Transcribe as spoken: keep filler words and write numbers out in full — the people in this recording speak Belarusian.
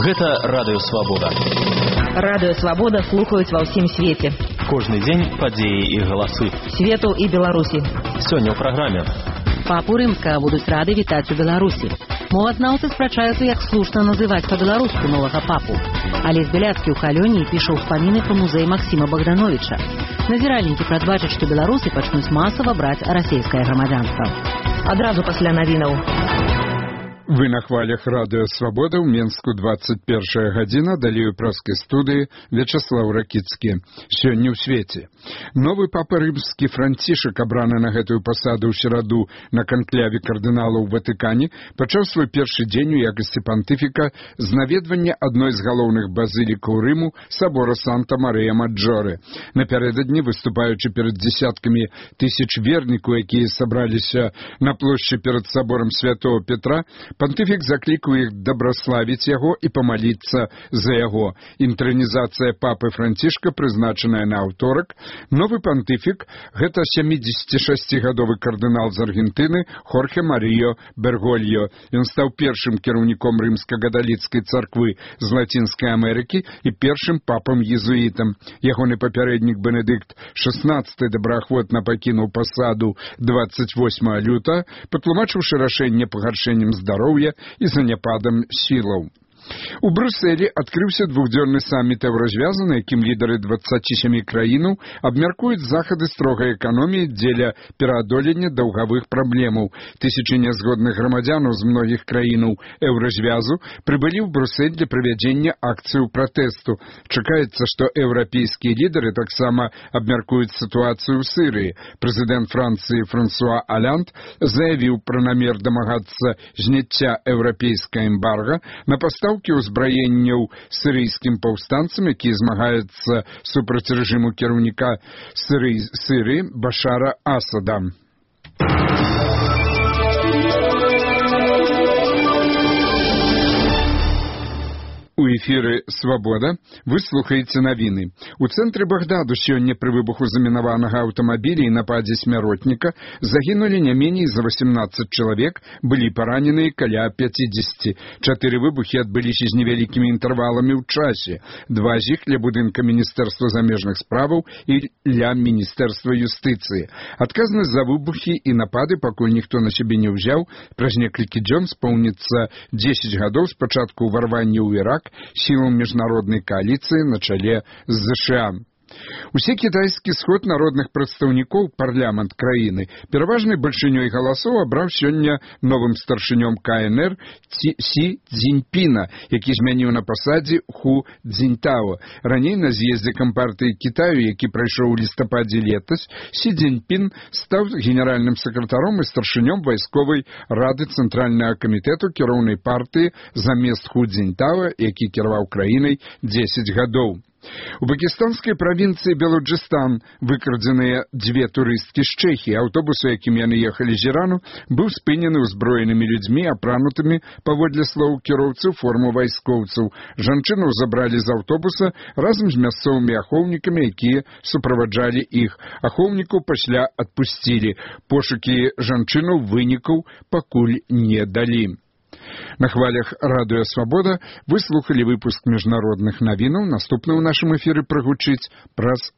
Гэта Радыё Свабода. Радыё Свабода слухаюць ва ўсім свеце. Кожны дзень падзеі і галасы. Свету і Беларусі. Сёння ў праграме. Папу Рымскага будуць рады вітаць у Беларусі. Мовазнаўцы спрачаюцца, як слушна называць па-беларуску новага папу. Алесь Беляцкі ў Калёніі піша ўспаміны пра музей Максіма Богдановича. Назіральнікі прадбачаць, што беларусы пачнуць масава браць расейскае грамадзянства. Адразу пасля навінаў. Вы на хвалях Радыё Свабода, ў Менску двадцать першая гадзіна, далей у праскай студыі Вячаслаў Ракіцкі. Сёння ў свеце. Новы папа рымскі Францішак, абраны на гэтую пасаду ў сераду на канкляве кардыналаў у Ватыкане, пачаў свой першы дзень у якасці пантыфіка з наведвання адной з галоўных базылікаў Рыму, сабора Санта-Марыя-Маджоре. Напярэдадні, выступаючы перад дзесяткамі тысяч вернікаў, якія сабраліся на плошчы перад саборам святого Петра, пантыфік заклікаў іх дабраславіць яго і памаліцца за яго. Інтранізацыя папы Францішка прызначаная на аўторак. Новы пантыфік – гэта сямідзесятышасцігадовы кардынал з Аргентыны Хорхе Маріо Бергольо. Ён стаў першым кіраўніком рымска-каталіцкай царквы з Лацінскай Амерыкі і першым папам-езуітам. Ягоны папярэднік Бенедыкт шаснаццаты добраахвотна пакінуў пасаду двадцать восьмага лютага, патлумачыўшы рашэнне пагаршэннем здароўя і заняпадам сілаў. У Брюсселі адкрыўся двухдзённы саміт еўразвязу, на якім лідары дваццаці сямі краінаў абмяркуюць захады строгай эканоміі дзеля пераадолення даўгавых праблемаў. Тысячы нязгодных грамадзянаў з многіх краінаў еўразвязу прыбылі ў Брюссель для правядзення акцыю пратэсту. Чакаецца, што еўрапейскія лідары таксама абмяркуюць сітуацыю ў Сірыі. Прэзідэнт Францыі Франсуа Аланд заявіў пра намер дамагацца зняцця еўрапейскага эмбарга на пастаўку ўзбраенняў сірыйскім паўстанцам, які змагаецца супраць рэжыму кіраўніка Сірыі Башара Асада. У эфіры «Свабода» вы слухаеце навіны. У цэнтры Багдаду сёння пры выбуху замінаванага аўтамабіля і нападзе смяротніка загінулі не меней за восемнаццаць чалавек, былі параненыя каля пяцідзесяці. Чатыры выбухі адбыліся з невялікімі інтэрваламі ў часе. Два з іх ля будынка Міністэрства замежных справаў і ля Міністэрства юстыцыі. Адказнасць за выбухі і напады пакуль ніхто на сябе не ўзяў. Праз некалькі дзён споўніцца дзесяць гадоў з пачатку ўварвання ў Ірак сілам міжнароднай кааліцыі на чале з ЗША. Усе кітайскі сход народных прадстаўнікоў парламент краіны пераважнай бальшынёй галасоў абраў сёння новым старшынём ка эн эр Сі Цзіньпіна, які змяніў на пасадзе Ху Цзіньтао. Раней на з'ездзе кампартыі Кітаю, які прайшоў у лістападзе летась, Сі Цзіньпін стаў генеральным сакратаром і старшынём вайсковай рады цэнтральнага камітэту кіроўнай партыі замест Ху Цзіньтао, які кіраваў краінай дзесяць гадоў. У пакістанскай правінцыі Белуджыстан выкрадзеныя дзве турысткі з Чэхіі. Аўтобус, у якім яны ехалі з Ірану, быў спынены ўзброенымі людзьмі, апранутымі, паводле слоў кіроўцаў, форму вайскоўцаў. Жанчыну забралі з аўтобуса разам з мясцовымі ахоўнікамі, якія суправаджалі іх. Ахоўнікаў пасля адпусцілі. Пошукі жанчыну вынікаў пакуль не далі. На хвалях Радыё Свабода вы слухалі выпуск міжнародных навінаў. Наступны ў нашым эфіры прагучыць праз